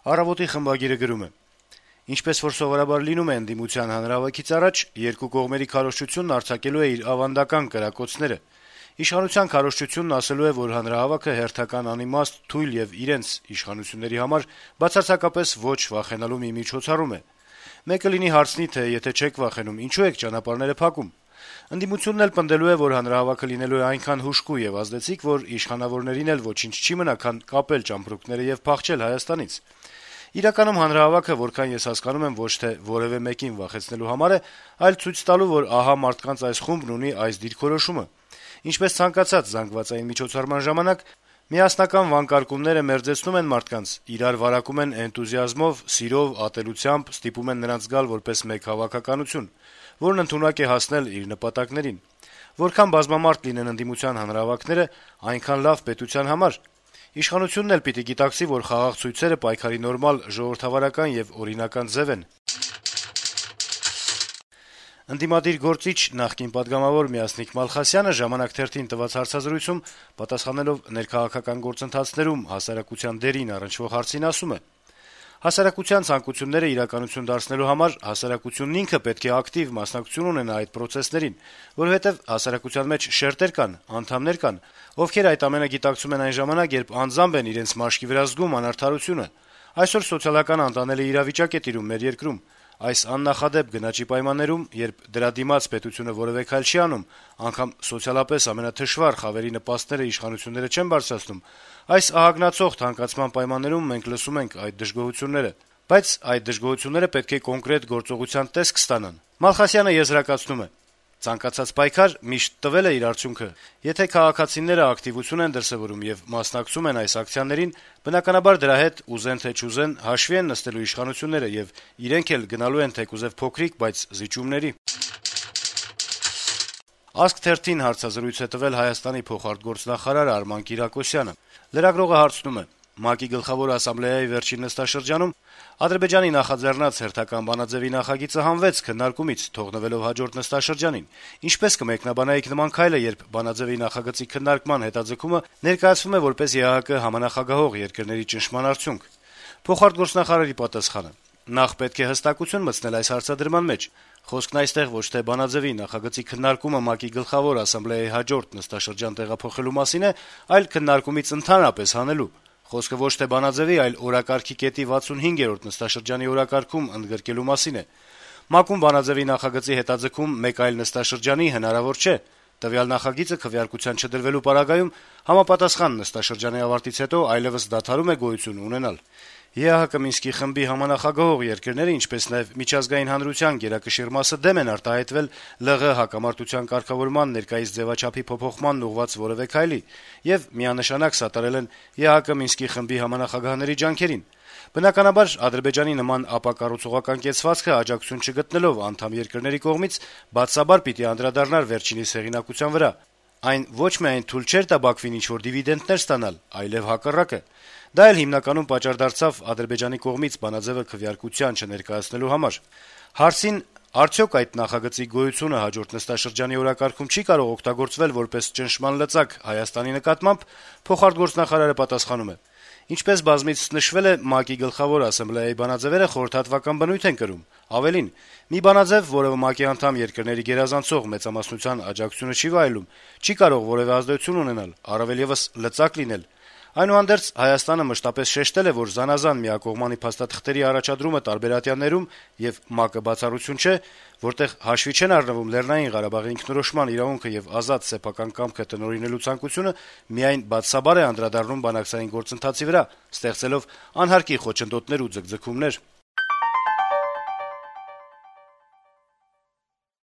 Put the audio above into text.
Առավոտի խմբագիրը գրում է. - Ինչպես որ սովորաբար լինում է ընդդիմության հանրահավաքից առաջ, երկու կողմերի քարոզչությունն արձակելու է իր ավանդական կրակոցները: Իշխանության քարոզչությունն ասելու է, որ հանրահավաքը հերթական անիմաստ, թույլ եւ իրենց իշխանությունների համար բացարձակապես ոչ վախենալու մի միջոցառում է: Մեկը լինի հարցնի, թե եթե չեք վախենում, ինչու եք ճանապարհները փակում: Ընդդիմությունն էլ պնդելու է, որ հանրահավաքը լինելու է այնքան հուժկու եւ ազդեցիկ, որ իշխանավորներին էլ ոչինչ չի մնա, քան կապել ճամպրուկները եւ փախչել Հայաստանից: Իրականում հանրահավաքը, որքան ես հասկանում եմ, ոչ թե որեւէ մեկին վախեցնելու համար է, այլ ցույց տալու, որ ահա մարդկանց այս խումբն ունի այս դիրքորոշումը: Ինչպես ցանկացած զանգվածային միջոցառման ժամանակ, միասնական վանկարկումները մերձեցնում են մարդկանց, իրար վարակում են էնտուզիազմով, սիրով, ատելությամբ, ստիպում են նրանց գալ որպես մեկ հավաքականություն, որն ընդունակ է հասնել իր նպատակներին: Որքան բազմամարդ լինեն ընդդիմության հանրահավաքները, այնքան լավ պետության համար: Իշխանությունն էլ պիտի գիտակցի, որ խաղաղ ցույցերը պայքարի նորմալ, ժողովրդավարական եւ օրինական ձեւ են»: Ընդդիմադիր գործիչ, նախկին պատգամավոր Մյասնիկ Մալխասյանը «Ժամանակ» թերթին տված հարցազրույցում, պատասխանելով ներքաղաքական գործընթացներում հասարակության դերին առնչվող հարցին, ասում է. - «Հասարակության ցանկությունները իրականություն դարձնելու համար հասարակությունն ինքը պետք է ակտիվ մասնակցություն ունենա այդ պրոցեսներին, որովհետեւ հասարակության մեջ շերտեր կան, անդամներ կան, ովքեր այդ ամենը գիտակցում են այն ժամանակ, երբ անձամբ են իրենց մաշկի վրա զգում անարդարությունը: Այսօր սոցիալական անտանելի իրավիճակ է տիրում մեր երկրում: Այս աննախադեպ գնաճի պայմաններում, երբ դրա դիմաց պետությունը որեւէ քայլ չի անում, անգամ սոցիալապես ամենաթշվառ խավերի նպաստները իշխանությունները չեն բարձրացնում, այս ահագնացող թանկացման պայմաններում մենք լսում ենք այդ դժգոհությունները: Բայց այդ դժգոհությունները պետք է կոնկրետ գործողության տեսք ստանան»: Մալխասյանը եզրակացնում է. - «Ցանկացած պայքար միշտ տվել է իր արդյունքը: Եթե քաղաքացիները ակտիվություն են դրսեւորում եւ մասնակցում են այս ակցիաներին, բնականաբար դրա հետ, ուզեն թե չուզեն, հաշվի են նստելու իշխանությունները եւ իրենք էլ գնալու են թեկուզեւ փոքրիկ, բայց զիջումների»: «Ազգ» թերթին հարցազրույց է տվել Հայաստանի փոխարտգործնախարար Արման Կիրակոսյանը: Լրագրողը հարցնում է. - «ՄԱԿ-ի Գլխավոր ասամբլեայի վերջին նստաշրջանում Ադրբեջանի նախաձեռնած հերթական բանաձեւի նախագիծը հանվեց քննարկումից, թողնվելով հաջորդ նստաշրջանին: Ինչպե՞ս կմեկնաբանայիք նման քայլը, երբ բանաձեւի նախագծի քննարկման հետաձգումը ներկայացվում է որպես ԵԱՀԿ համանախագահող երկրների ճնշման արդյունք»: Փոխարտգործնախարարի պատասխանը. - «Նախ պետք է հստակություն մտցնել այս հարցադրման մեջ: Խոսքն այստեղ ոչ թե բանաձեւի նախագծի քննարկումը ՄԱԿ-ի Գլխավոր ասամբլեայի հաջորդ նստաշրջան տեղափոխելու մասին է, այլ քննարկումից ընդհանրապես հանելու: Խոսքը ոչ թե բանաձեւի, այլ օրակարգի կետի 65-րդ նստաշրջանի օրակարգում ընդգրկելու մասին է: ՄԱԿ-ում բանաձեւի նախագծի հետաձգում մեկ այլ նստաշրջանի հնարավոր չէ: Տվյալ նախագիծը քվեարկության չդրվելու պարագայում համապատասխան նստաշրջանի ավարտից հետո այլեւս դադարում է գոյություն ունենալ: ԵԱՀԿ Մինսկի խմբի համանախագահող երկրները, ինչպես նաեւ միջազգային հանրության գերակշիռ մասը դեմ են արտահայտվել ԼՂ հակամարտության կարգավորման ներկայիս ձեւաչափի փոփոխմանն ուղղված որեւէ քայլի եւ միանշանակ սատարել են ԵԱՀԿ Մինսկի խմբի համանախագահների ջանքերին: Բնականաբար, Ադրբեջանի նման ապակառուցողական կեցվածքը աջակցություն չգտնելով անդամ երկրների կողմից բացաբար պիտի անդրադառնար վերջինիս հեղինակության վրա: Այն ոչ միայն թույլ չէր տա Բաքվին ինչ-որ դիվիդենտներ ստանալ, այլեւ հակառակը: Դա էլ հիմնականում պատճառ դարձավ Ադրբեջանի կողմից բանաձեւը քվեարկության չներկայացնելու համար»: Հարցին, արդյոք այդ նախագծի գոյությունը հաջորդ նստաշրջանի օրակարգում չի կարող օգտագործվել որպես ճնշման լծակ Հայաստանի նկատմամբ, փոխարտգործնախարարը պատասխանում է. - «Ինչպես բազմիցս նշվել է, ՄԱԿ-ի Գլխավոր ասամբլեայի բանաձեւերը խորհրդատվական բնույթ են կրում: Ավելին, մի բանաձեւ, որը ՄԱԿ-ի անդամ երկրների գերազանցող մեծամասնության աջակցությունը չի վայելում, չի կարող որեւէ ազդեցություն ունենալ, առավել եւս լծակ լինել: Այդուհանդերձ Հայաստանը մշտապես շեշտել է, որ զանազան միակողմանի փաստաթղթերի առաջադրումը տարբերատյաններում եւ ՄԱԿ-ը բացառություն չէ, որտեղ հաշվի չեն առնվում Լեռնային Ղարաբաղի ինքնորոշման իրավունքը եւ ազատ սեփական կամքը տնօրինելու ցանկությունը, միայն բացասաբար է անդրադառնում բանակցային գործընթացի վրա, ստեղծելով անհարկի խոչընդոտներ ու ձգձգումներ»: